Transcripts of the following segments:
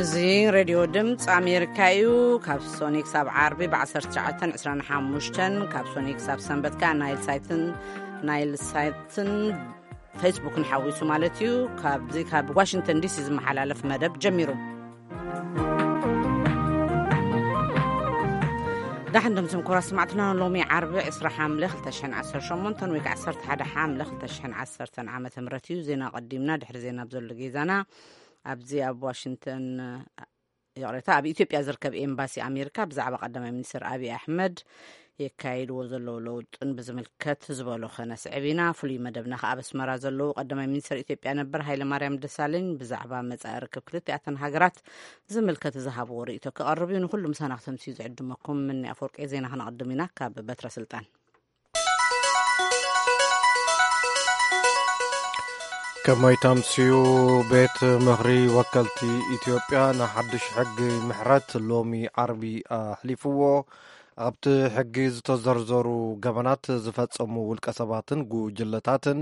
እዚ ሬድዮ ድምፂ ኣሜሪካ እዩ። ካብ ሶኒ ክሳብ ዓርቢ ብ19:25፣ ካብ ሶኒ ክሳብ ሰንበት ከኣ ናይል ሳይትን፣ ናይል ሳይትን ፌስቡክን ሓዊሱ ማለት እዩ። ካብዚ ካብ ዋሽንግተን ዲሲ ዝመሓላለፍ መደብ ጀሚሩ። ዳሕን ድምፅም ኮራ ስማዕትና፣ ሎሚ ዓርቢ 20 ሓምለ 2018 ወይ ከዓ 11 ሓምለ 2010 ዓመተ ምህረት እዩ። ዜና ቀዲምና፣ ድሕሪ ዜና ኣብ ዘሎ ጌዛና ኣብዚ ኣብ ዋሽንግተን፣ ይቕሬታ፣ ኣብ ኢትዮጵያ ዝርከብ ኤምባሲ ኣሜሪካ ብዛዕባ ቀዳማይ ሚኒስትር ኣብይ ኣሕመድ የካይድዎ ዘለዉ ለውጥን ብዝምልከት ዝበሎ ከነስዕብ ኢና። ፍሉይ መደብና ከኣ ኣብ ኣስመራ ዘለዉ ቀዳማይ ሚኒስትር ኢትዮጵያ ነበር ሃይለ ማርያም ደሳለኝ ብዛዕባ መጻኢ ርክብ ክልቲኣተን ሃገራት ዝምልከት ዝሃብዎ ርእይቶ ክቐርብ እዩ። ንኹሉ ምሳና ክተምስዩ ዝዕድመኩም ምኒ ኣፈወርቂ። ዜና ክነቕድም ኢና ካብ በትረ ስልጣን። ከመይ ተምስዩ? ቤት ምኽሪ ወከልቲ ኢትዮጵያ ንሓድሽ ሕጊ ምሕረት ሎሚ ዓርቢ ኣሕሊፍዎ። ኣብቲ ሕጊ ዝተዘርዘሩ ገበናት ዝፈጸሙ ውልቀ ሰባትን ጉጅለታትን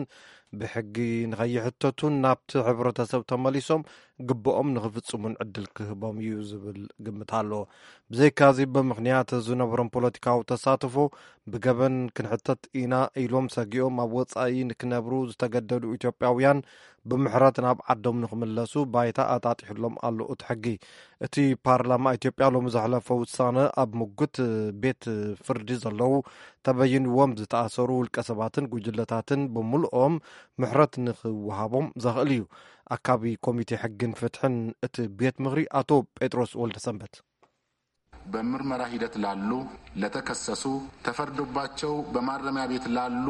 ብሕጊ ንኸይሕተቱን ናብቲ ሕብረተሰብ ተመሊሶም ግብኦም ንኽፍጽሙን ዕድል ክህቦም እዩ ዝብል ግምት ኣሎ። ብዘይካዚ፣ ብምኽንያት ዝነበሮም ፖለቲካዊ ተሳትፎ ብገበን ክንሕተት ኢና ኢሎም ሰጊኦም ኣብ ወጻኢ ንክነብሩ ዝተገደዱ ኢትዮጵያውያን ብምሕረት ናብ ዓዶም ንኽምለሱ ባይታ ኣጣጢሑሎም ኣሎ እቲ ሕጊ። እቲ ፓርላማ ኢትዮጵያ ሎሚ ዘሕለፎ ውሳነ፣ ኣብ ምጉት ቤት ፍርዲ ዘለዉ፣ ተበይንዎም ዝተኣሰሩ ውልቀ ሰባትን ጉጅለታትን ብምልኦም ምሕረት ንኽወሃቦም ዘኽእል እዩ። ኣካቢ ኮሚቴ ሕግን ፍትሕን እቲ ቤት ምኽሪ ኣቶ ጴጥሮስ ወልደሰንበት። በምርመራ ሂደት ላሉ፣ ለተከሰሱ፣ ተፈርዶባቸው በማረሚያ ቤት ላሉ፣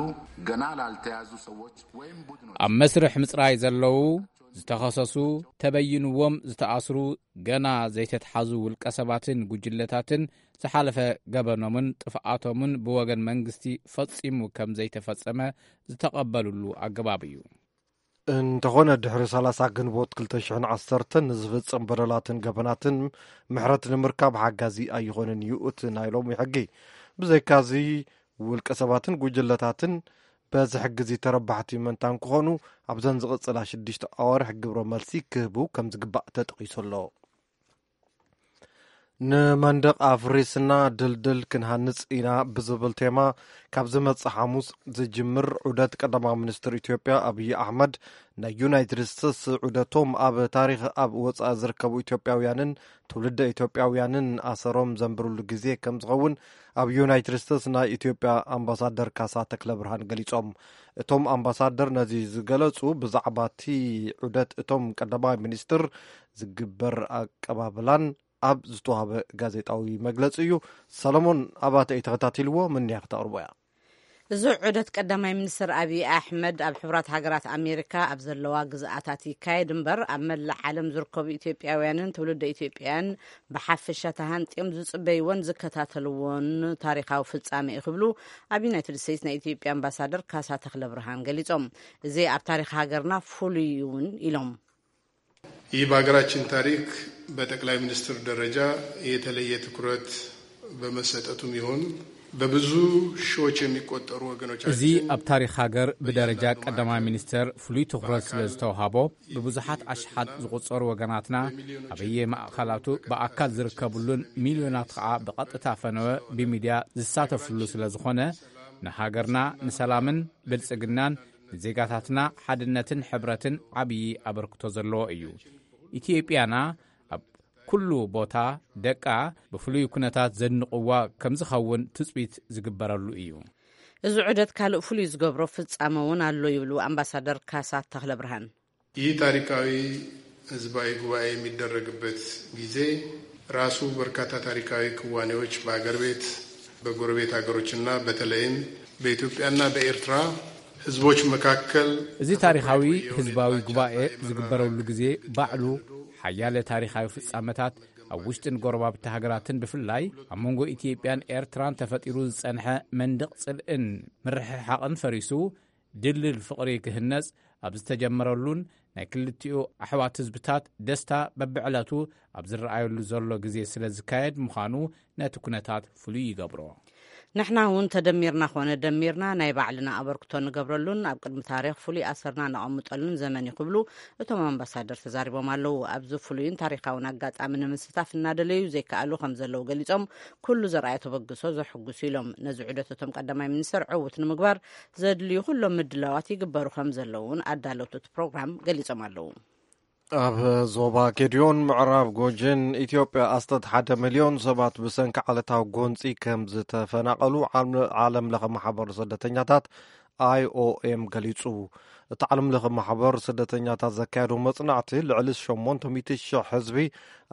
ገና ላልተያዙ ሰዎች ወይም ቡድኖች። ኣብ መስርሕ ምጽራይ ዘለዉ፣ ዝተኸሰሱ፣ ተበይንዎም ዝተኣስሩ፣ ገና ዘይተትሓዙ ውልቀ ሰባትን ጉጅለታትን ዝሓለፈ ገበኖምን ጥፍኣቶምን ብወገን መንግስቲ ፈጺሙ ከም ዘይተፈጸመ ዝተቐበሉሉ ኣገባብ እዩ። እንተኾነ፣ ድሕሪ 30 ግንቦት 2010 ንዝፍጸም በደላትን ገበናትን ምሕረት ንምርካብ ሓጋዚ ኣይኾንን እዩ እቲ ናይ ሎሚ ሕጊ። ብዘይካዚ፣ ውልቀ ሰባትን ጉጅለታትን በዚ ሕጊ እዚ ተረባሕቲ ምእንታን ክኾኑ፣ ኣብዘን ዝቕጽላ ሽዱሽተ ኣዋርሕ ግብረ መልሲ ክህቡ ከም ዝግባእ ተጠቒሱ ኣሎ። ንመንደቕ ኣፍሪስና ድልድል ክንሃንጽ ኢና ብዝብል ቴማ፣ ካብ ዝመጽእ ሓሙስ ዝጅምር ዑደት ቀዳማዊ ሚኒስትር ኢትዮጵያ ኣብይ ኣሕመድ፣ ናይ ዩናይትድ ስቴትስ ዑደቶም ኣብ ታሪኽ ኣብ ወጻኢ ዝርከቡ ኢትዮጵያውያንን ትውልደ ኢትዮጵያውያንን ኣሰሮም ዘንብርሉ ግዜ ከም ዝኸውን ኣብ ዩናይትድ ስቴትስ ናይ ኢትዮጵያ ኣምባሳደር ካሳ ተክለ ብርሃን ገሊጾም። እቶም ኣምባሳደር ነዚ ዝገለጹ፣ ብዛዕባ እቲ ዑደት እቶም ቀዳማይ ሚኒስትር ዝግበር ኣቀባብላን ኣብ ዝተዋህበ ጋዜጣዊ መግለጺ እዩ። ሰለሞን ኣባተ እዩ ተኸታቲልዎ፣ ምንያ ክተቕርቦ እያ። እዚ ዑደት ቀዳማይ ሚኒስትር ኣብይ ኣሕመድ ኣብ ሕቡራት ሃገራት ኣሜሪካ ኣብ ዘለዋ ግዝኣታት ይካየድ እምበር፣ ኣብ መላእ ዓለም ዝርከቡ ኢትዮጵያውያንን ትውልደ ኢትዮጵያውያን ብሓፈሻ ተሃንጥዮም ዝጽበይዎን ዝከታተልዎን ታሪኻዊ ፍጻሜ እዩ ክብሉ ኣብ ዩናይትድ ስቴትስ ናይ ኢትዮጵያ ኣምባሳደር ካሳ ተክለ ብርሃን ገሊጾም። እዚ ኣብ ታሪኽ ሃገርና ፍሉይ እውን ኢሎም። ይህ በሀገራችን ታሪክ በጠቅላይ ሚኒስትር ደረጃ የተለየ ትኩረት በመሰጠቱም ይሁን በብዙ ሺዎች የሚቆጠሩ ወገኖቻችን እዚ ኣብ ታሪኽ ሃገር ብደረጃ ቀዳማይ ሚኒስተር ፍሉይ ትኹረት ስለ ዝተውሃቦ፣ ብብዙሓት ኣሽሓት ዝቑጸሩ ወገናትና ኣበየ ማእከላቱ ብኣካል ዝርከብሉን ሚልዮናት ኸኣ ብቐጥታ ፈነወ ብሚድያ ዝሳተፍሉ ስለ ዝኾነ፣ ንሃገርና ንሰላምን ብልጽግናን ንዜጋታትና ሓድነትን ሕብረትን ዓብዪ ኣበርክቶ ዘለዎ እዩ። ኢትዮጵያና ኣብ ኩሉ ቦታ ደቃ ብፍሉይ ኩነታት ዘድንቕዋ ከም ዝኸውን ትጽቢት ዝግበረሉ እዩ። እዚ ዑደት ካልእ ፍሉይ ዝገብሮ ፍጻመ እውን ኣሎ ይብሉ ኣምባሳደር ካሳ ተኽለ ብርሃን። ይህ ታሪካዊ ህዝባዊ ጉባኤ የሚደረግበት ጊዜ ራሱ በርካታ ታሪካዊ ክዋኔዎች በአገር ቤት፣ በጎረቤት ሀገሮችና በተለይም በኢትዮጵያና በኤርትራ ህዝቦች መካከል እዚ ታሪኻዊ ህዝባዊ ጉባኤ ዝግበረሉ ግዜ ባዕሉ ሓያለ ታሪኻዊ ፍጻመታት ኣብ ውሽጥን ጎረባብቲ ሃገራትን ብፍላይ ኣብ መንጎ ኢትዮጵያን ኤርትራን ተፈጢሩ ዝጸንሐ መንደቕ ጽልእን ምርሕሓቕን ፈሪሱ ድልድል ፍቕሪ ክህነጽ ኣብ ዝተጀመረሉን ናይ ክልቲኡ ኣሕዋት ህዝብታት ደስታ በብዕለቱ ኣብ ዝረኣየሉ ዘሎ ግዜ ስለ ዝካየድ ምዃኑ ነቲ ኩነታት ፍሉይ ይገብሮ። ንሕና እውን ተደሚርና ኮነ ደሚርና ናይ ባዕልና ኣበርክቶ ንገብረሉን ኣብ ቅድሚ ታሪኽ ፍሉይ ኣሰርና ነቐምጠሉን ዘመን እዩ ክብሉ እቶም ኣምባሳደር ተዛሪቦም ኣለዉ። ኣብዚ ፍሉይን ታሪኻውን ኣጋጣሚ ንምስታፍ እናደለዩ ዘይከኣሉ ከም ዘለዉ ገሊጾም፣ ኩሉ ዘርኣዮ ተበግሶ ዘሕጉስ ኢሎም። ነዚ ዑደት እቶም ቀዳማይ ሚኒስትር ዕዉት ንምግባር ዘድልዩ ኩሎም ምድላዋት ይግበሩ ከም ዘለዉ እውን ኣዳለውቲ እቲ ፕሮግራም ገሊጾም ኣለዉ። ኣብ ዞባ ጌዲዮን ምዕራብ ጎጀን ኢትዮጵያ ኣስተት ሓደ ሚልዮን ሰባት ብሰንኪ ዓለታዊ ጎንፂ ከም ዝተፈናቐሉ ዓለም ለኸ ማሕበር ስደተኛታት ኣይ ኦ ኤም ገሊፁ። እቲ ዓለም ለኸ ማሕበር ስደተኛታት ዘካየዶ መፅናዕቲ ልዕሊ ሸሞንተ ሚእቲ ሽሕ ህዝቢ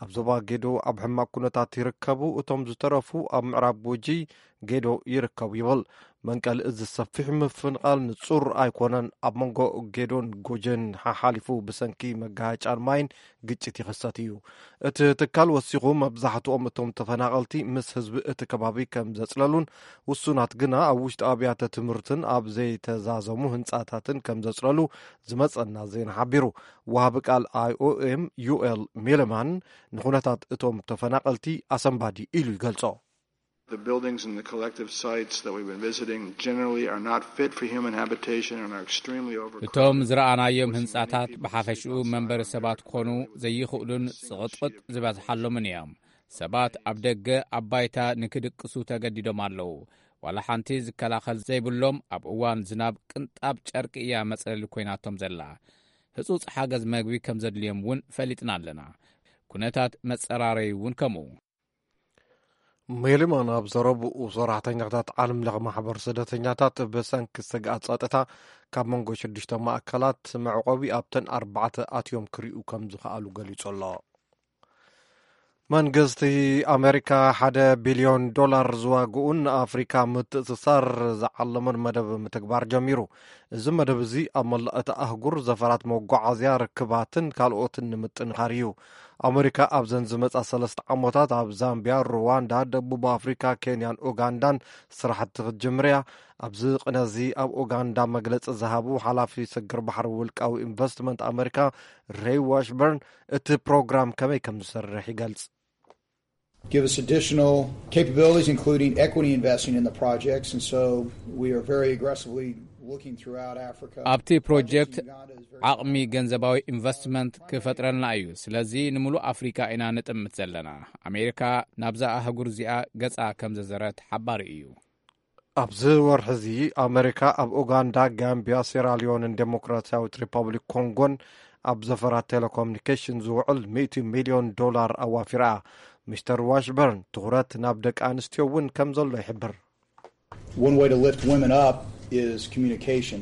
ኣብ ዞባ ጌዶ ኣብ ሕማቅ ኩነታት ይርከቡ። እቶም ዝተረፉ ኣብ ምዕራብ ጉጂ ጌዶ ይርከቡ ይብል። መንቀሊ እዚ ሰፊሕ ምፍንቓል ንጹር ኣይኮነን። ኣብ መንጎ ጌዶን ጎጀን ሓሓሊፉ ብሰንኪ መጋሃጫን ማይን ግጭት ይኽሰት እዩ። እቲ ትካል ወሲኹ፣ መብዛሕትኦም እቶም ተፈናቐልቲ ምስ ህዝቢ እቲ ከባቢ ከም ዘጽለሉን ውሱናት ግና ኣብ ውሽጢ ኣብያተ ትምህርትን ኣብ ዘይተዛዘሙ ህንጻታትን ከም ዘጽለሉ ዝመጸና ዜና ሓቢሩ። ወሃቢ ቃል ኣይ ኦ ኤም ዩ ኤል ሚለማን ንኹነታት እቶም ተፈናቐልቲ ኣሰንባዲ ኢሉ ይገልጾ። The buildings and the collective sites that we've been visiting generally are not fit for human habitation and are extremely overcrowded. እቶም ዝረኣናዮም ህንጻታት ብሓፈሽኡ መንበሪ ሰባት ክኾኑ ዘይኽእሉን ጽቕጥቕጥ ዝበዝሓሎምን እዮም። ሰባት ኣብ ደገ ኣብ ባይታ ንክድቅሱ ተገዲዶም ኣለዉ። ዋላ ሓንቲ ዝከላኸል ዘይብሎም፣ ኣብ እዋን ዝናብ ቅንጣብ ጨርቂ እያ መጽለሊ ኮይናቶም ዘላ። ህጹጽ ሓገዝ መግቢ ከም ዘድልዮም እውን ፈሊጥና ኣለና። ኩነታት መጸራረዪ እውን ከምኡ። ሜሊማን ኣብ ዘረብኡ፣ ሰራሕተኛታት ዓለም ለኸ ማሕበር ስደተኛታት ብሰንኪ ስግኣት ጸጥታ ካብ መንጎ ሽዱሽተ ማእከላት መዕቆቢ ኣብተን ኣርባዕተ ኣትዮም ክርእዩ ከም ዝኸኣሉ ገሊጹ ኣሎ። መንግስቲ ኣሜሪካ ሓደ ቢልዮን ዶላር ዝዋግኡን ንኣፍሪካ ምትእስሳር ዝዓለመን መደብ ምትግባር ጀሚሩ። እዚ መደብ እዚ ኣብ መላእ እታ ኣህጉር ዘፈራት መጓዓዝያ፣ ርክባትን ካልኦትን ንምጥንኻር እዩ። ኣሜሪካ ኣብዘን ዝመጻ ሰለስተ ዓመታት ኣብ ዛምቢያ፣ ሩዋንዳ፣ ደቡብ ኣፍሪካ፣ ኬንያን ኡጋንዳን ስራሕቲ ክትጅምር እያ። ኣብዚ ቅነ እዚ ኣብ ኡጋንዳ መግለጺ ዝሃቡ ሓላፊ ስግር ባሕሪ ውልቃዊ ኢንቨስትመንት ኣሜሪካ ሬይ ዋሽበርን እቲ ፕሮግራም ከመይ ከም ዝሰርሕ ይገልጽ። Give us additional capabilities, including equity investing in the projects. And so we are very aggressively looking throughout Africa. ኣብቲ ፕሮጀክት ዓቕሚ ገንዘባዊ ኢንቨስትመንት ክፈጥረልና እዩ። ስለዚ ንምሉእ ኣፍሪካ ኢና ንጥምት ዘለና። ኣሜሪካ ናብዛ ኣህጉር እዚኣ ገጻ ከም ዘዘረት ሓባሪ እዩ። ኣብዚ ወርሒ እዚ ኣመሪካ ኣብ ኡጋንዳ፣ ጋምቢያ፣ ሴራሊዮንን ዴሞክራሲያዊት ሪፐብሊክ ኮንጎን ኣብ ዘፈራት ቴሌኮሙኒኬሽን ዝውዕል ሚእቲ ሚልዮን ዶላር ኣዋፊራ። ሚስተር ዋሽበርን ትኹረት ናብ ደቂ ኣንስትዮ እውን ከም ዘሎ ይሕብር። One way to lift women up is communication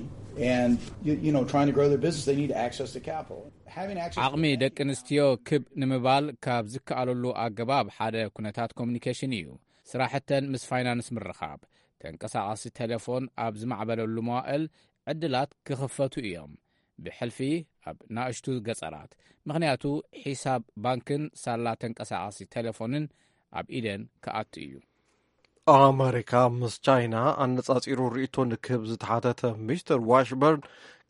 and you, you know trying to grow their business they need access to capital. Having access ዓቕሚ ደቂ ኣንስትዮ ክብ ንምባል ካብ ዝከኣለሉ ኣገባብ ሓደ ኩነታት ኮሙኒኬሽን እዩ። ስራሕተን ምስ ፋይናንስ ምርኻብ፣ ተንቀሳቓሲ ቴሌፎን ኣብ ዝማዕበለሉ መዋእል ዕድላት ክኽፈቱ እዮም፣ ብሕልፊ ኣብ ናእሽቱ ገጸራት፣ ምኽንያቱ ሒሳብ ባንክን ሳላ ተንቀሳቓሲ ቴሌፎንን ኣብ ኢደን ክኣቱ እዩ። ኣመሪካ ምስ ቻይና ኣነጻጺሩ ርእይቶ ንክህብ ዝተሓተተ ሚስተር ዋሽበርን፣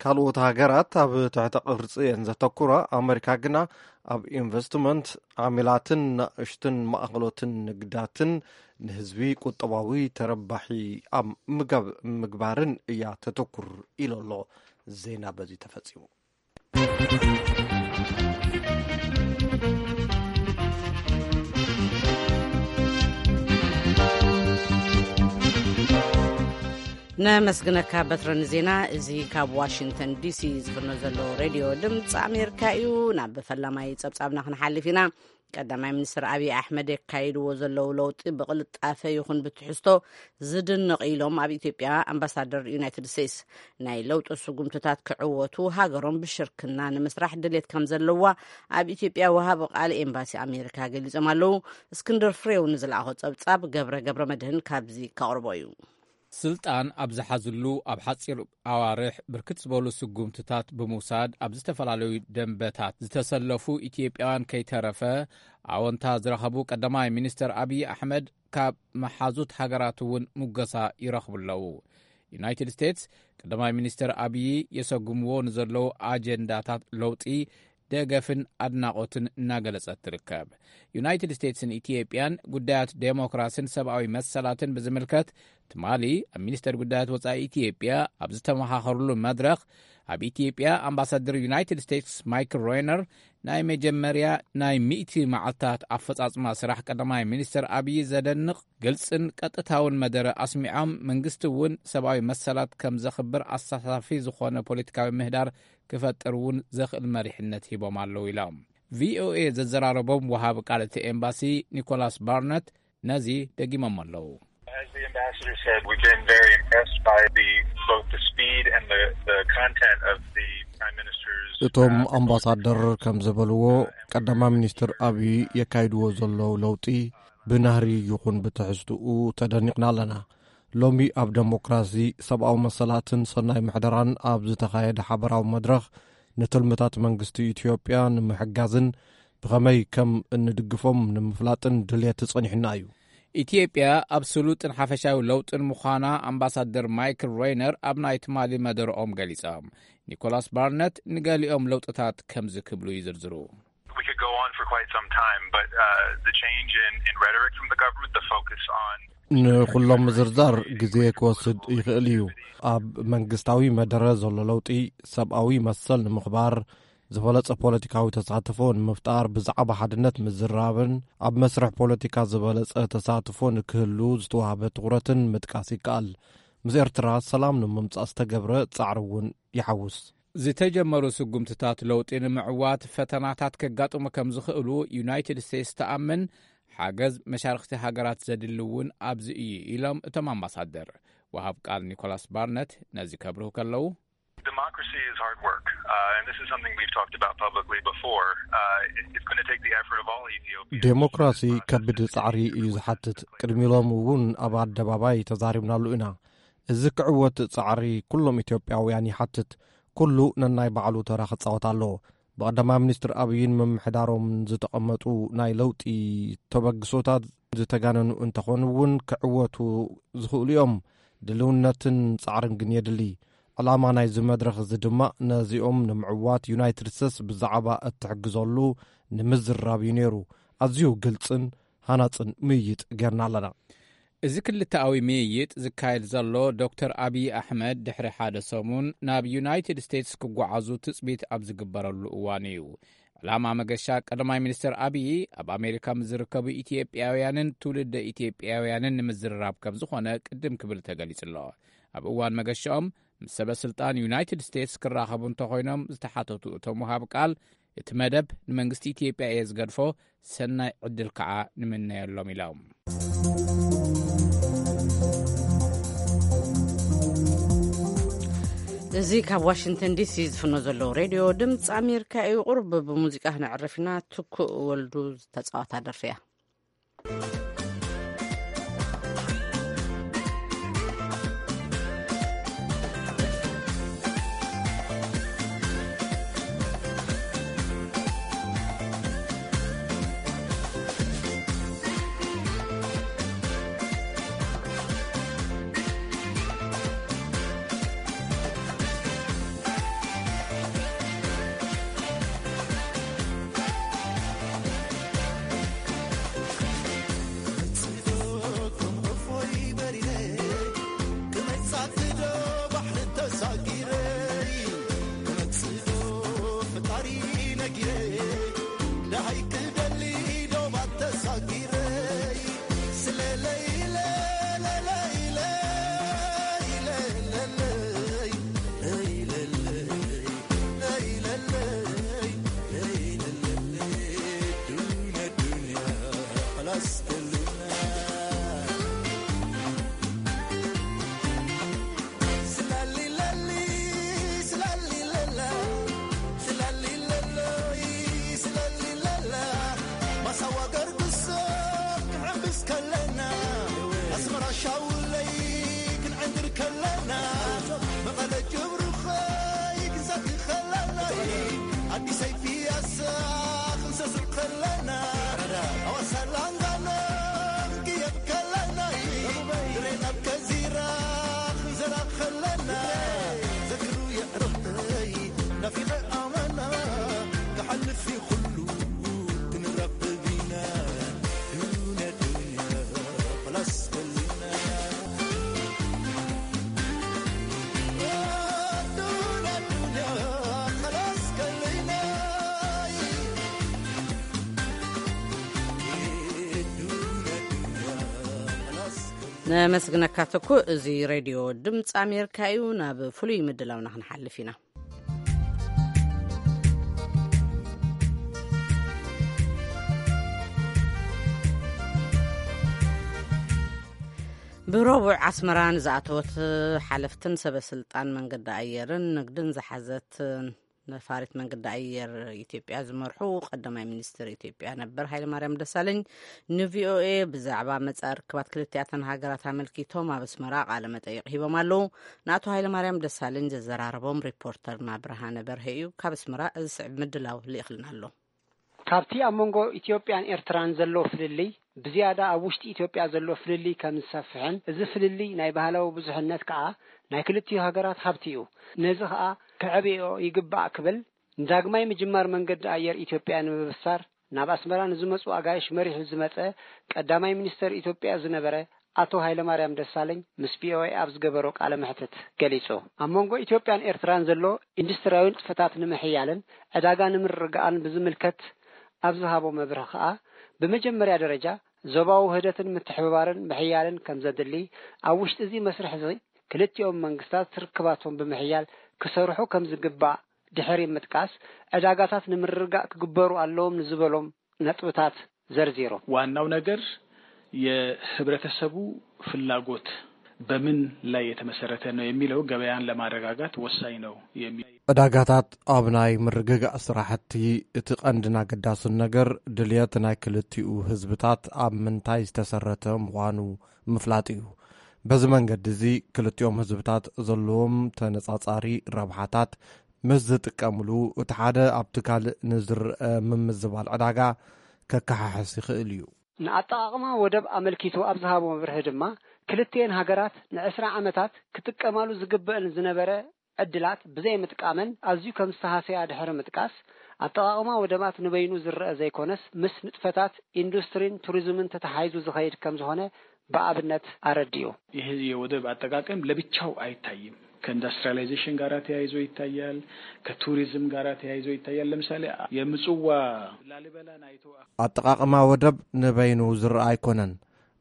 ካልኦት ሃገራት ኣብ ትሕተ ቅርጺ እየን ዘተኩራ፣ ኣመሪካ ግና ኣብ ኢንቨስትመንት፣ ዓሚላትን ናእሽትን ማእኸሎትን ንግዳትን ንህዝቢ ቁጠባዊ ተረባሒ ኣብ ምግባርን እያ ተተኩር ኢሉ ኣሎ። ዜና በዚ ተፈጺሙ። ነመስግነካ በትረ ንዜና እዚ ካብ ዋሽንግተን ዲሲ ዝፍኖ ዘሎ ሬድዮ ድምፂ ኣሜሪካ እዩ። ናብ ፈላማይ ፀብፃብና ክንሓልፍ ኢና። ቀዳማይ ሚኒስትር ኣብይ ኣሕመድ የካይድዎ ዘለዉ ለውጢ ብቕልጣፈ ይኹን ብትሕዝቶ ዝድነቕ ኢሎም ኣብ ኢትዮጵያ ኣምባሳደር ዩናይትድ ስቴትስ። ናይ ለውጢ ስጉምትታት ክዕወቱ ሃገሮም ብሽርክና ንምስራሕ ድሌት ከም ዘለዋ ኣብ ኢትዮጵያ ወሃቢ ቃል ኤምባሲ ኣሜሪካ ገሊጾም ኣለዉ። እስክንድር ፍሬው ንዝለኣኾ ጸብጻብ ገብረ ገብረ መድህን ካብዚ ከቕርቦ እዩ። ስልጣን ኣብ ዝሓዝሉ ኣብ ሓጺር ኣዋርሕ ብርክት ዝበሉ ስጉምትታት ብምውሳድ ኣብ ዝተፈላለዩ ደንበታት ዝተሰለፉ ኢትዮጵያውያን ከይተረፈ ኣወንታ ዝረኸቡ ቀዳማይ ሚኒስትር ኣብይ ኣሕመድ ካብ መሓዙት ሃገራት እውን ሙገሳ ይረኽቡ ኣለዉ። ዩናይትድ ስቴትስ ቀዳማይ ሚኒስትር ኣብይ የሰጉምዎ ንዘለዉ ኣጀንዳታት ለውጢ ደገፍን ኣድናቖትን እናገለጸት ትርከብ። ዩናይትድ ስቴትስን ኢትዮጵያን ጉዳያት ዴሞክራስን ሰብኣዊ መሰላትን ብዝምልከት፣ ትማሊ ኣብ ሚኒስተር ጉዳያት ወጻኢ ኢትዮጵያ ኣብ ዝተመኻኸሩሉ መድረኽ፣ ኣብ ኢትዮጵያ ኣምባሳደር ዩናይትድ ስቴትስ ማይክል ሮይነር ናይ መጀመርያ ናይ ሚእቲ መዓልታት ኣፈጻጽማ ስራሕ ቀዳማይ ሚኒስተር ኣብዪ ዘደንቕ፣ ግልጽን ቀጥታውን መደረ ኣስሚዖም፣ መንግስቲ እውን ሰብኣዊ መሰላት ከም ዘኽብር ኣሳታፊ ዝኾነ ፖለቲካዊ ምህዳር ክፈጥር እውን ዘኽእል መሪሕነት ሂቦም ኣለዉ ኢሎም። ቪኦኤ ዘዘራረቦም ወሃቢ ቃል እቲ ኤምባሲ ኒኮላስ ባርነት ነዚ ደጊሞም ኣለዉ። As the ambassador said, we've been very impressed by the, both the speed and the, the content of the Prime Minister's, እቶም uh, ኣምባሳደር ከም ዝበልዎ፣ ቀዳማይ ሚኒስትር ኣብዪ የካይድዎ ዘለዉ ለውጢ ብናህሪ ይኹን ብትሕዝትኡ ተደኒቕና ኣለና። ሎሚ ኣብ ደሞክራሲ፣ ሰብኣዊ መሰላትን ሰናይ ምሕደራን ኣብ ዝተኻየደ ሓበራዊ መድረኽ፣ ንትልምታት መንግስቲ ኢትዮጵያ ንምሕጋዝን ብኸመይ ከም እንድግፎም ንምፍላጥን ድልየት ጸኒሑና እዩ። ኢትዮጵያ ኣብ ስሉጥን ሓፈሻዊ ለውጥን ምዃና ኣምባሳደር ማይክል ሮይነር ኣብ ናይ ትማሊ መደረኦም ገሊጾም። ኒኮላስ ባርነት ንገሊኦም ለውጥታት ከምዚ ክብሉ ይዝርዝሩ። We could go on for quite some time, but, uh, the change in, in rhetoric from the government, the focus on ንኹሎም ምዝርዛር ግዜ ክወስድ ይኽእል እዩ። ኣብ መንግስታዊ መደረ ዘሎ ለውጢ፣ ሰብኣዊ መሰል ንምኽባር፣ ዝበለጸ ፖለቲካዊ ተሳትፎ ንምፍጣር፣ ብዛዕባ ሓድነት ምዝራብን ኣብ መስርሕ ፖለቲካ ዝበለጸ ተሳትፎ ንክህሉ ዝተዋህበ ትኹረትን ምጥቃስ ይከኣል። ምስ ኤርትራ ሰላም ንምምጻእ ዝተገብረ ጻዕሪ እውን ይሓውስ። ዝተጀመሩ ስጉምትታት ለውጢ ንምዕዋት ፈተናታት ከጋጥሙ ከም ዝኽእሉ ዩናይትድ ስቴትስ ትኣምን፣ ሓገዝ መሻርኽቲ ሃገራት ዘድሊ እውን ኣብዚ እዩ ኢሎም እቶም ኣምባሳደር። ወሃብ ቃል ኒኮላስ ባርነት ነዚ ከብርሁ ከለዉ፣ Democracy is hard work, uh, and this is something we've talked about publicly before. Uh, it, it's going to take the effort of all Ethiopians. ዴሞክራሲ ከቢድ ጻዕሪ እዩ ዝሓትት። ቅድሚ ሎሚ እውን ኣብ ኣደባባይ ተዛሪብናሉ ኢና። እዚ ክዕወት ጻዕሪ ኩሎም ኢትዮጵያውያን ይሓትት። ኩሉ ነናይ ባዕሉ ተራ ክጻወት ኣለዎ። ብቐዳማይ ሚኒስትር ኣብይን ምምሕዳሮምን ዝተቐመጡ ናይ ለውጢ ተበግሶታት ዝተጋነኑ እንተኾኑ እውን ክዕወቱ ዝኽእሉ እዮም። ድልውነትን ጻዕርን ግን የድሊ። ዕላማ ናይዚ መድረኽ እዚ ድማ ነዚኦም ንምዕዋት ዩናይትድ ስቴትስ ብዛዕባ እትሕግዘሉ ንምዝራብ እዩ ነይሩ። ኣዝዩ ግልጽን ሃናጽን ምይይጥ ጌርና ኣለና። እዚ ክልተኣዊ ምይይጥ ዝካየድ ዘሎ ዶክተር ኣብይ ኣሕመድ ድሕሪ ሓደ ሰሙን ናብ ዩናይትድ ስቴትስ ክጓዓዙ ትጽቢት ኣብ ዝግበረሉ እዋን እዩ። ዕላማ መገሻ ቀዳማይ ሚኒስትር ኣብይ ኣብ ኣሜሪካ ምስ ዝርከቡ ኢትዮጵያውያንን ትውልደ ኢትዮጵያውያንን ንምዝርራብ ከም ዝኾነ ቅድም ክብል ተገሊጹ ኣሎ። ኣብ እዋን መገሻኦም ምስ ሰበ ስልጣን ዩናይትድ ስቴትስ ክራኸቡ እንተኾይኖም ዝተሓተቱ እቶም ወሃብ ቃል፣ እቲ መደብ ንመንግስቲ ኢትዮጵያ እየ ዝገድፎ፣ ሰናይ ዕድል ከዓ ንምነየሎም ኢሎም። እዚ ካብ ዋሽንግተን ዲሲ ዝፍኖ ዘለዉ ሬድዮ ድምፂ ኣሜሪካ እዩ። ቁሩብ ብሙዚቃ ክነዕርፍ ኢና። ትኩእ ወልዱ ዝተፃወታ ደርፊ እያ። ነመስግነካ ተኩ። እዚ ሬድዮ ድምፂ ኣሜሪካ እዩ። ናብ ፍሉይ ምድላውና ክንሓልፍ ኢና። ብረቡዕ ኣስመራ ንዝኣተወት ሓለፍትን ሰበ ስልጣን መንገዲ ኣየርን ንግድን ዝሓዘት ነፋሪት መንገዲ ኣየር ኢትዮጵያ ዝመርሑ ቀዳማይ ሚኒስትር ኢትዮጵያ ነበር ሃይለማርያም ደሳለኝ ንቪኦኤ ብዛዕባ መጻኢ ርክባት ክልቲኣተን ሃገራት ኣመልኪቶም ኣብ ኣስመራ ቃለ መጠይቕ ሂቦም ኣለዉ። ንኣቶ ሃይለማርያም ደሳለኝ ዘዘራረቦም ሪፖርተርና ብርሃነ በርሀ እዩ። ካብ ኣስመራ እዚ ስዕብ ምድላው ልኢኽልና ኣሎ። ካብቲ ኣብ መንጎ ኢትዮጵያን ኤርትራን ዘሎ ፍልልይ ብዝያዳ ኣብ ውሽጢ ኢትዮጵያ ዘሎ ፍልልይ ከም ዝሰፍሕን፣ እዚ ፍልልይ ናይ ባህላዊ ብዙሕነት ከኣ ናይ ክልቲኡ ሃገራት ሃብቲ እዩ። ነዚ ከኣ ከዕብዮ ይግባእ ክብል ንዳግማይ ምጅማር መንገዲ ኣየር ኢትዮጵያ ንምብሳር ናብ ኣስመራ ንዝመጹ ኣጋይሽ መሪሑ ዝመጸ ቀዳማይ ሚኒስተር ኢትዮጵያ ዝነበረ ኣቶ ሃይለማርያም ደሳለኝ ምስ ቪኦኤ ኣብ ዝገበሮ ቃለ መሕትት ገሊጹ። ኣብ መንጎ ኢትዮጵያን ኤርትራን ዘሎ ኢንዱስትርያዊ ንጥፈታት ንምሕያልን ዕዳጋ ንምርግጋእን ብዝምልከት ኣብ ዝሃቦ መብርሂ ከኣ፣ ብመጀመርያ ደረጃ ዞባዊ ውህደትን ምትሕብባርን ምሕያልን ከም ዘድሊ፣ ኣብ ውሽጢ እዚ መስርሕ እዚ ክልቲኦም መንግስታት ርክባቶም ብምሕያል ክሰርሑ ከም ዝግባእ ድሕሪ ምጥቃስ፣ ዕዳጋታት ንምርግጋእ ክግበሩ ኣለዎም ንዝበሎም ነጥብታት ዘርዚሩ። ዋናው ነገር የህብረተሰቡ ፍላጎት በምን ላይ የተመሰረተ ነው የሚለው ገበያን ለማረጋጋት ወሳኝ ነው የሚል ዕዳጋታት ኣብ ናይ ምርግጋእ ስራሕቲ እቲ ቀንድን ኣገዳስን ነገር ድልየት ናይ ክልቲኡ ህዝብታት ኣብ ምንታይ ዝተሰረተ ምዃኑ ምፍላጥ እዩ። በዚ መንገዲ እዚ ክልቲኦም ህዝብታት ዘለዎም ተነጻጻሪ ረብሓታት ምስ ዝጥቀምሉ፣ እቲ ሓደ ኣብቲ ካልእ ንዝረአ ምምዝባል ዕዳጋ ከከሓሕስ ይኽእል እዩ። ንኣጠቓቕማ ወደብ ኣመልኪቱ ኣብ ዝሃቦ መብርሂ ድማ፣ ክልቲኤን ሃገራት ንዕስራ ዓመታት ክጥቀማሉ ዝግበአን ዝነበረ ዕድላት ብዘይምጥቃመን ኣዝዩ ከም ዝተሃሰያ ድሕሪ ምጥቃስ፣ ኣጠቓቕማ ወደባት ንበይኑ ዝረአ ዘይኮነስ፣ ምስ ንጥፈታት ኢንዱስትሪን ቱሪዝምን ተተሓሒዙ ዝኸይድ ከም ዝኾነ ብኣብነት ኣረዲኡ። ይህ የወደብ አጠቃቀም ለብቻው አይታይም። ከኢንዱስትሪያላይዜሽን ጋር ተያይዞ ይታያል፣ ከቱሪዝም ጋር ተያይዞ ይታያል። ለምሳሌ የምጽዋ ላሊበላን አይቶ ኣጠቓቕማ ወደብ ንበይኑ ዝረኣ ኣይኮነን።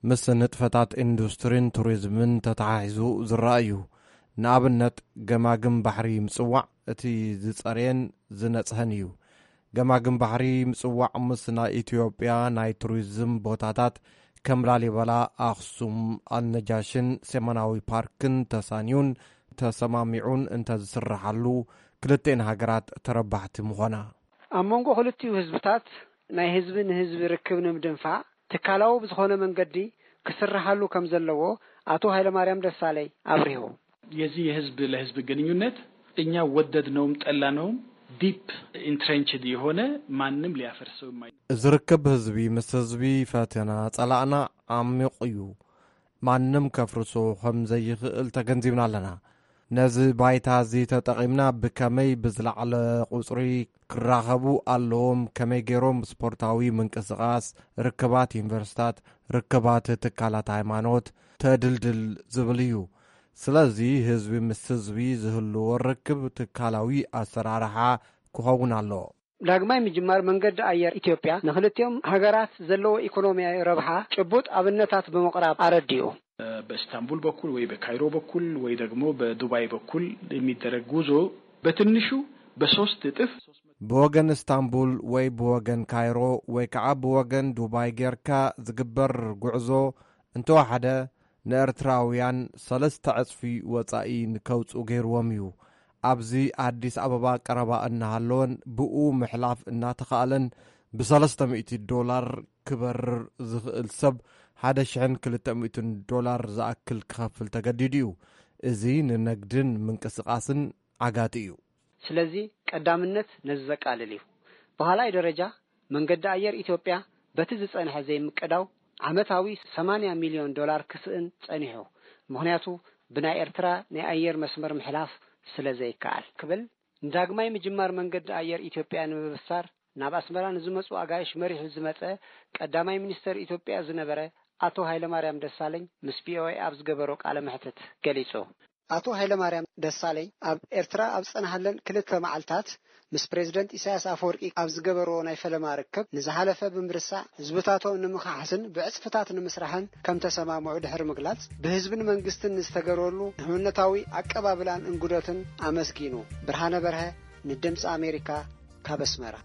ምስ ንጥፈታት ኢንዱስትሪን ቱሪዝምን ተተሓሒዙ ዝረኣ እዩ። ንኣብነት፣ ገማግም ባሕሪ ምጽዋዕ እቲ ዝጸረየን ዝነጽሀን እዩ። ገማግም ባሕሪ ምጽዋዕ ምስ ናይ ኢትዮጵያ ናይ ቱሪዝም ቦታታት ከም ላሊበላ፣ ኣኽሱም፣ ኣልነጃሽን ሴማናዊ ፓርክን ተሳንዩን ተሰማሚዑን እንተዝስርሓሉ፣ ክልቴን ሃገራት ተረባሕቲ ምኾና። ኣብ መንጎ ክልቲኡ ህዝብታት ናይ ህዝቢ ንህዝቢ ርክብ ንምድንፋዕ ትካላዊ ብዝኾነ መንገዲ ክስርሓሉ ከም ዘለዎ ኣቶ ሃይለማርያም ደሳለይ ኣብሪሁ። የዚህ የህዝብ ለህዝብ ግንኙነት እኛ ወደድነውም ጠላነውም ዲፕ ኢንትሬንችድ የሆነ ማንም ሊያፈርሰው የማይ እዚ ርክብ ህዝቢ ምስ ህዝቢ ፈተና ጸላእና ዓሚቕ እዩ። ማንም ከፍርሶ ከም ዘይኽእል ተገንዚብና ኣለና። ነዚ ባይታ እዚ ተጠቒምና ብከመይ ብዝለዓለ ቁጽሪ ክራኸቡ ኣለዎም፣ ከመይ ገይሮም ስፖርታዊ ምንቅስቓስ፣ ርክባት ዩኒቨርሲታት፣ ርክባት ትካላት ሃይማኖት ተድልድል ዝብል እዩ። ስለዚ ህዝቢ ምስ ህዝቢ ዝህልዎ ርክብ ትካላዊ ኣሰራርሓ ክኸውን ኣለዎ። ዳግማይ ምጅማር መንገዲ ኣየር ኢትዮጵያ ንክልቲኦም ሃገራት ዘለዎ ኢኮኖሚያዊ ረብሓ ጭቡጥ ኣብነታት ብምቕራብ ኣረዲኡ። በእስታንቡል በኩል ወይ በካይሮ በኩል ወይ ደግሞ በዱባይ በኩል የሚደረግ ጉዞ በትንሹ በሶስት እጥፍ ብወገን እስታንቡል ወይ ብወገን ካይሮ ወይ ከዓ ብወገን ዱባይ ጌርካ ዝግበር ጉዕዞ እንተወሓደ ንኤርትራውያን ሰለስተ ዕጽፊ ወጻኢ ንከውጽኡ ገይርዎም እዩ። ኣብዚ ኣዲስ ኣበባ ቀረባ እናሃለወን ብኡ ምሕላፍ እናተኻእለን ብሰለስተ ሚእቲ ዶላር ክበርር ዝኽእል ሰብ ሓደ ሽሕን ክልተ ሚእትን ዶላር ዝኣክል ክኸፍል ተገዲዱ እዩ። እዚ ንነግድን ምንቅስቓስን ዓጋቲ እዩ። ስለዚ ቀዳምነት ነዚ ዘቃልል እዩ። ብኻልኣይ ደረጃ መንገዲ ኣየር ኢትዮጵያ በቲ ዝጸንሐ ዘይምቅዳው ዓመታዊ ሰማንያ ሚልዮን ዶላር ክስእን ጸኒሑ። ምኽንያቱ ብናይ ኤርትራ ናይ ኣየር መስመር ምሕላፍ ስለ ዘይከኣል ክብል ንዳግማይ ምጅማር መንገዲ ኣየር ኢትዮጵያ ንምብሳር ናብ ኣስመራ ንዝመጹ ኣጋይሽ መሪሑ ዝመጸ ቀዳማይ ሚኒስተር ኢትዮጵያ ዝነበረ ኣቶ ሃይለማርያም ደሳለኝ ምስ ቪኦኤ ኣብ ዝገበሮ ቃለ መሕትት ገሊጹ። ኣቶ ሃይለማርያም ደሳለኝ ኣብ ኤርትራ ኣብ ዝጸንሃለን ክልተ መዓልታት ምስ ፕሬዝደንት ኢሳያስ ኣፈወርቂ ኣብ ዝገበርዎ ናይ ፈለማ ርክብ፣ ንዝሓለፈ ብምርሳዕ ህዝብታቶም ንምኽሓስን ብዕጽፍታት ንምስራሕን ከም ተሰማምዑ ድሕሪ ምግላጽ፣ ብህዝብን መንግስትን ንዝተገበረሉ ንህውነታዊ ኣቀባብላን እንግዶትን ኣመስጊኑ። ብርሃነ በርሀ ንድምፂ ኣሜሪካ ካብ ኣስመራ።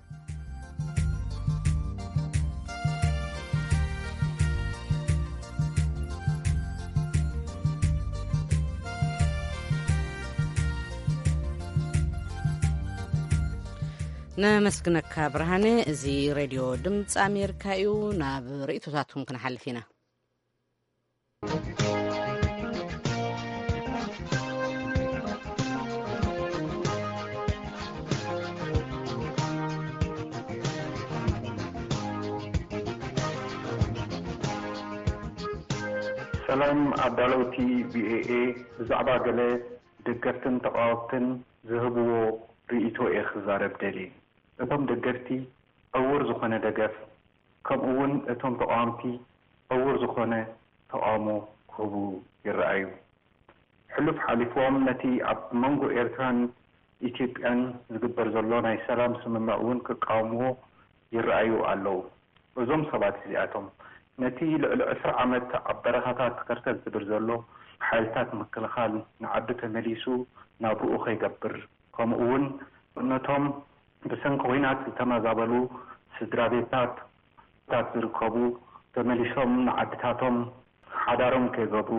ነመስግነካ ብርሃነ። እዚ ሬድዮ ድምፂ ኣሜሪካ እዩ። ናብ ርእይቶታትኩም ክንሓልፍ ኢና። ሰላም ኣዳለውቲ ቪኦኤ፣ ብዛዕባ ገለ ደገፍትን ተቓወምትን ዝህብዎ ርእይቶ እየ ክዛረብ ደልየ። እቶም ደገፍቲ ዕዉር ዝኾነ ደገፍ፣ ከምኡ እውን እቶም ተቓወምቲ ዕዉር ዝኾነ ተቓውሞ ክህቡ ይረኣዩ። ሕሉፍ ሓሊፍዎም ነቲ ኣብ መንጎ ኤርትራን ኢትዮጵያን ዝግበር ዘሎ ናይ ሰላም ስምምዕ እውን ክቃወምዎ ይረኣዩ ኣለዉ። እዞም ሰባት እዚኣቶም፣ ነቲ ልዕሊ ዕስራ ዓመት ኣብ በረኻታት ከርተት ዝብል ዘሎ ሓይልታት ምክልኻል ንዓዱ ተመሊሱ ናብርኡ ከይገብር፣ ከምኡ እውን ነቶም ብሰንኪ ኲናት ዝተመዛበሉ ስድራ ቤታት ታት ዝርከቡ ተመሊሶም ንዓድታቶም ሓዳሮም ከይገብሩ፣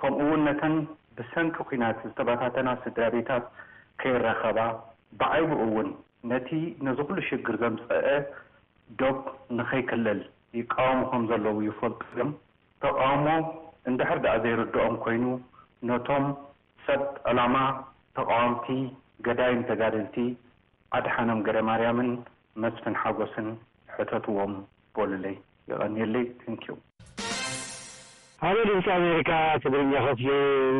ከምኡ እውን ነተን ብሰንኪ ኲናት ዝተበታተና ስድራ ቤታት ከይራኸባ፣ ብዓይቡ እውን ነቲ ነዚ ኩሉ ሽግር ዘምፀአ ዶብ ንኸይክለል ይቃወሙ ከም ዘለዉ ይፈልጡ እዮም። ተቃውሞ እንድሕር ደኣ ዘይርድኦም ኮይኑ፣ ነቶም ሰብ ዕላማ ተቃወምቲ፣ ገዳይም ተጋደልቲ ኣድሓኖም ገረማርያምን መስፍን ሓጎስን ሕተትዎም በሉለይ። የቐንየለይ። Thank you። ሃሎ ድምፂ ኣሜሪካ ትግርኛ ክፍሊ፣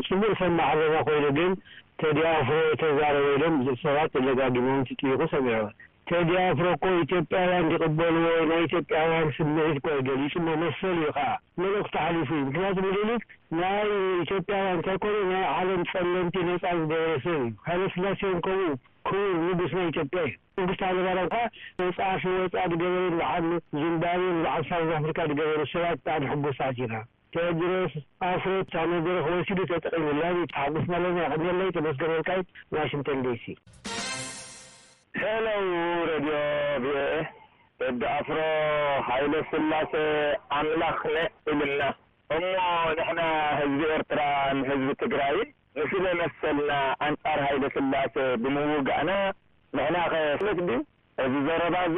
ፅቡቅ ሰማዕ ኣለና ኮይኑ ግን ቴዲ ኣፍሮ ተዛረበ ኢሎም ብዙሕ ሰባት ደጋጊሞም ትጥይቁ ሰሚዐ። ቴዲ ኣፍሮ እኮ ኢትዮጵያውያን ዝቅበልዎ ናይ ኢትዮጵያውያን ስምዒት እኮ ገሊፁ እሞ መሰሉ እዩ ከዓ መልእክቱ ሓሊፉ እዩ። ምክንያቱ ምኒልክ ናይ ኢትዮጵያውያን እንተይኮነ ናይ ዓለም ፀለምቲ ነፃ ዝገበረ ሰብ እዩ። ሃይለስላሴ እውን ከምኡ ክቡር ንጉስ ናይ ኢትዮጵያ እዩ። መንግስቱ ሃይለማርያም ከዓ ነፃ ክወፃ ዝገበሩ በዓል ዚምባብዌ በዓል ሳውዝ ኣፍሪካ ዝገበሩ ሰባት ብጣዕሚ ሕጉሳት ኢና። ቴድሮስ ኣፍሮ እታ መድረኽ ወሲዱ ተጠቒሙላ። ተሓጉስና ኣለና። የቐንየለይ። ተመስገን ወልቃይት፣ ዋሽንግተን ዲሲ። ሄሎ ሬድዮ ቪኦኤ፣ ቴዲ ኣፍሮ ሃይለ ስላሴ ኣምላኽ ነ ኢልና እሞ ንሕና ህዝቢ ኤርትራን ህዝቢ ትግራይን ንስለ መሰልና ኣንጻር ሃይለ ስላሴ ብምውጋእና ንሕናኸ ስለት ድዩ? እዚ ዘረባ እዚ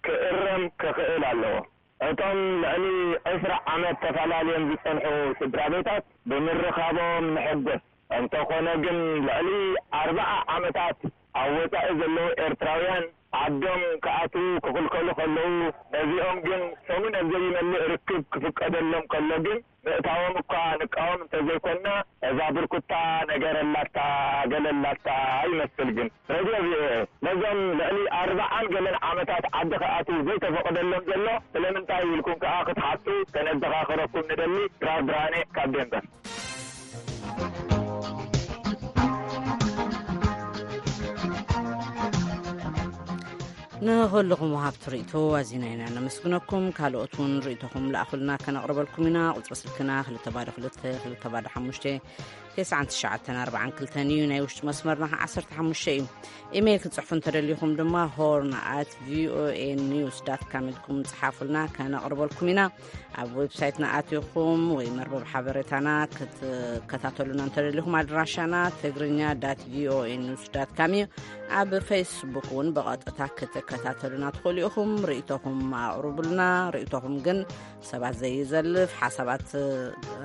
ክእረም ክኽእል ኣለዎ። እቶም ልዕሊ ዕስራ ዓመት ተፈላልዮም ዝጸንሑ ስድራ ቤታት ብምርኻቦም ንሕጎስ። እንተኾነ ግን ልዕሊ ኣርብዓ ዓመታት ኣብ ወጻኢ ዘለዉ ኤርትራውያን ዓዶም ክኣትዉ ክኽልከሉ ከለዉ፣ ነዚኦም ግን ሰሙን ኣብ ዘይመልእ ርክብ ክፍቀደሎም ከሎ ግን ምእታዎም እኳ ንቃወም እንተዘይኮንና፣ እዛ ብርኩታ ነገር ኣላታ ገለ ኣላታ ይመስል። ግን ሬድዮ ቪኦኤ ነዞም ልዕሊ ኣርብዓን ገለን ዓመታት ዓዲ ክኣትዉ ዘይተፈቕደሎም ዘሎ ስለምንታይ ኢልኩም ከኣ ክትሓቱ ከነዘኻኽረኩም ንደሊ። ድራር ብርሃነ ካብ ዴንቨር። ንኹልኹም ወሃብቲ ርእይቶ ኣዚና ኢና ነመስግነኩም። ካልኦት እውን ርእይቶኹም ለኣኹልና ከነቕርበልኩም ኢና። ቁጽሪ ስልክና ክልተ ባዶ ክልተ ክልተ ባዶ ሓሙሽተ ተስዓን ትሽዓተን ኣርባዓን ክልተን እዩ። ናይ ውሽጢ መስመርና ከዓ ዓሰርተ ሓሙሽተ እዩ። ኢሜይል ክትጽሕፉ እንተደሊኹም ድማ ሆርን ኣት ቪኦኤ ኒውስ ዳት ካም ኢልኩም ጽሓፉልና፣ ከነቕርበልኩም ኢና። ኣብ ዌብሳይትና ኣቲኹም ወይ መርበብ ሓበሬታና ክትከታተሉና እንተደሊኹም ኣድራሻና ትግርኛ ዳት ቪኦኤ ኒውስ ዳት ካም እዩ። ኣብ ፌስቡክ እውን ብቐጥታ ክትከታተሉና ትኽእሉ ኢኹም። ርእይቶኹም ኣቕርቡልና። ርእይቶኹም ግን ሰባት ዘይዘልፍ ሓሳባት፣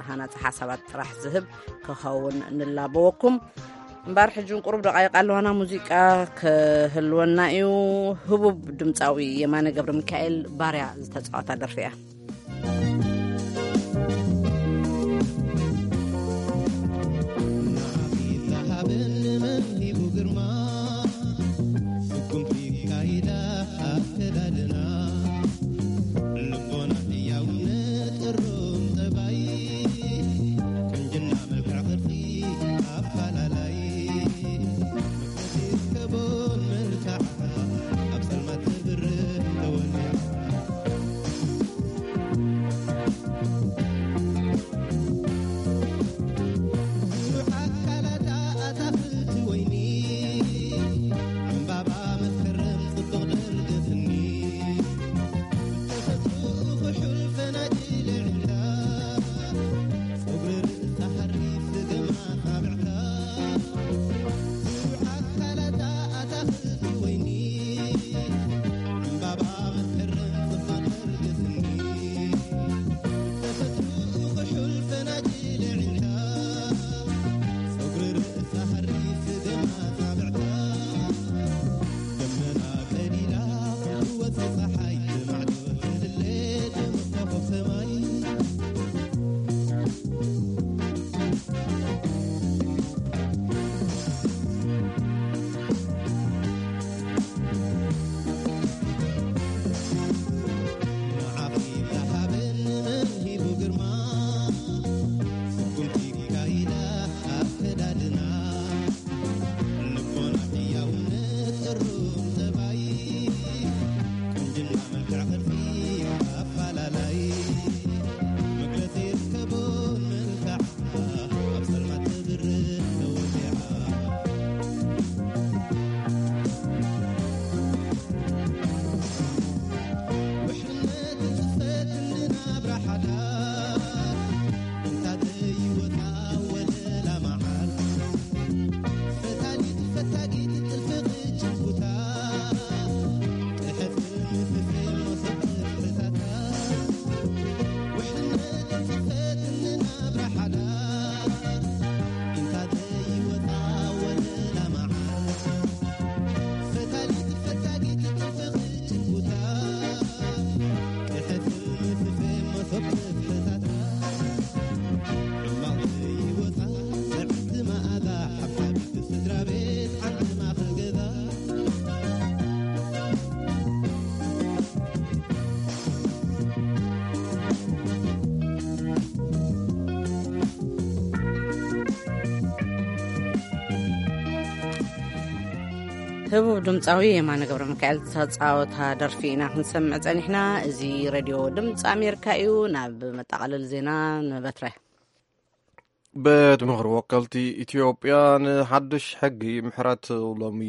ሃናጺ ሓሳባት ጥራሕ ዝህብ ክኸውን ንላበወኩም። እምበኣር ሕጂ እውን ቁሩብ ደቓይቕ ኣለዋና፣ ሙዚቃ ክህልወና እዩ። ህቡብ ድምጻዊ የማነ ገብረ ሚካኤል ባርያ ዝተጻወታ ደርፊ እያ። ህቡብ ድምፃዊ የማነ ገብረ ሚካኤል ዝተፃወታ ደርፊ ኢና ክንሰምዕ ፀኒሕና። እዚ ሬድዮ ድምፂ ኣሜሪካ እዩ። ናብ መጠቓለሊ ዜና ንበትረ። ቤት ምኽሪ ወከልቲ ኢትዮጵያ ንሓድሽ ሕጊ ምሕረት ሎሚ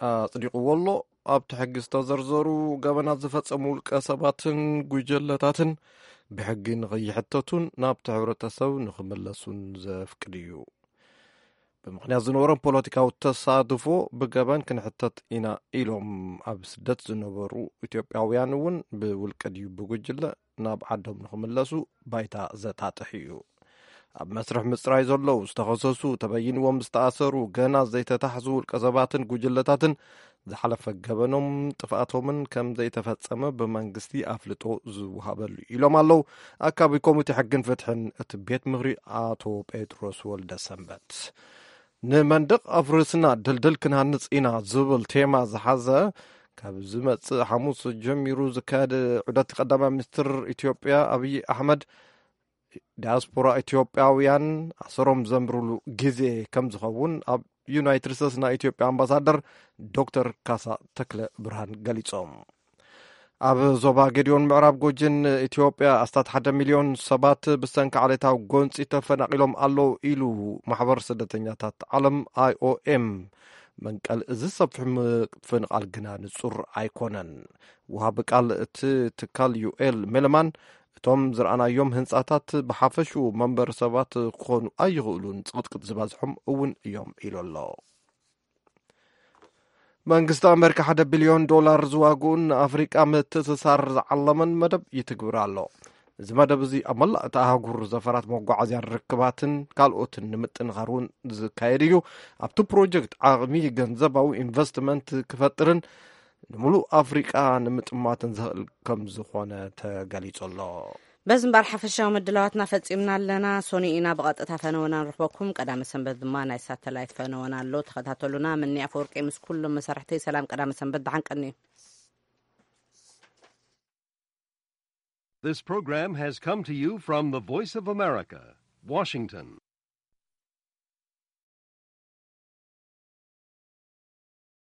ኣጽዲቕዎ ኣሎ። ኣብቲ ሕጊ ዝተዘርዘሩ ገበናት ዝፈጸሙ ውልቀ ሰባትን ጉጅለታትን ብሕጊ ንኸይሕተቱን ናብቲ ሕብረተሰብ ንኽምለሱን ዘፍቅድ እዩ። ብምኽንያት ዝነበሮም ፖለቲካዊ ተሳትፎ ብገበን ክንሕተት ኢና ኢሎም ኣብ ስደት ዝነበሩ ኢትዮጵያውያን እውን ብውልቀ ድዩ ብጉጅለ ናብ ዓዶም ንኽምለሱ ባይታ ዘጣጥሕ እዩ። ኣብ መስርሕ ምጽራይ ዘለዉ ዝተኸሰሱ፣ ተበይንዎም ዝተኣሰሩ፣ ገና ዘይተታሕዙ ውልቀ ሰባትን ጉጅለታትን ዝሓለፈ ገበኖም ጥፍኣቶምን ከም ዘይተፈጸመ ብመንግስቲ ኣፍልጦ ዝወሃበሉ ኢሎም ኣለዉ ኣካቢ ኮሚቴ ሕግን ፍትሕን እቲ ቤት ምኽሪ ኣቶ ጴጥሮስ ወልደ ሰንበት። ንመንደቕ ኣፍርስና ድልድል ክንሃንጽ ኢና ዝብል ቴማ ዝሓዘ ካብ ዝመጽእ ሓሙስ ጀሚሩ ዝካየድ ዑደት ቀዳማይ ሚኒስትር ኢትዮጵያ ኣብይ ኣሕመድ ዲያስፖራ ኢትዮጵያውያን ኣሰሮም ዘንብሩሉ ግዜ ከም ዝኸውን ኣብ ዩናይትድ ስቴትስ ናይ ኢትዮጵያ ኣምባሳደር ዶክተር ካሳ ተክለ ብርሃን ገሊጾም። ኣብ ዞባ ጌዲዮን ምዕራብ ጎጅን ኢትዮጵያ ኣስታት ሓደ ሚልዮን ሰባት ብሰንኪ ዓሌታዊ ጎንፂ ተፈናቒሎም ኣለዉ ኢሉ ማሕበር ስደተኛታት ዓለም ኣይ ኦ ኤም። መንቀል እዚ ሰፊሕ ምፍንቓል ግና ንጹር ኣይኮነን። ወሃቢ ቃል እቲ ትካል ዩኤል ሜለማን እቶም ዝረኣናዮም ህንጻታት ብሓፈሽኡ መንበሪ ሰባት ክኾኑ ኣይኽእሉን፣ ጽቕጥቅጥ ዝበዝሖም እውን እዮም ኢሉ ኣሎ። መንግስቲ ኣሜሪካ ሓደ ቢልዮን ዶላር ዝዋግኡን ንኣፍሪቃ ምትእስሳር ዝዓለመን መደብ ይትግብር ኣሎ። እዚ መደብ እዚ ኣብ መላእ እታ ኣህጉር ዘፈራት መጓዓዝያን ርክባትን ካልኦትን ንምጥንኻር እውን ዝካየድ እዩ። ኣብቲ ፕሮጀክት ዓቕሚ ገንዘባዊ ኢንቨስትመንት ክፈጥርን ንምሉእ ኣፍሪቃ ንምጥማትን ዝኽእል ከም ዝኾነ ተገሊጹ ኣሎ። በዚ እምበኣር ሓፈሻዊ ምድላዋትና ፈጺምና ኣለና። ሰኑይ ኢና ብቐጥታ ፈነወና ንረኽበኩም። ቀዳመ ሰንበት ድማ ናይ ሳተላይት ፈነወና ኣሎ። ተኸታተሉና። ምኒ ኣፈወርቂ ምስ ኩሎም መሳርሕተይ ሰላም ቀዳመ ሰንበት። ደሓን ቀንዩ። This program has come to you from the Voice of America, Washington.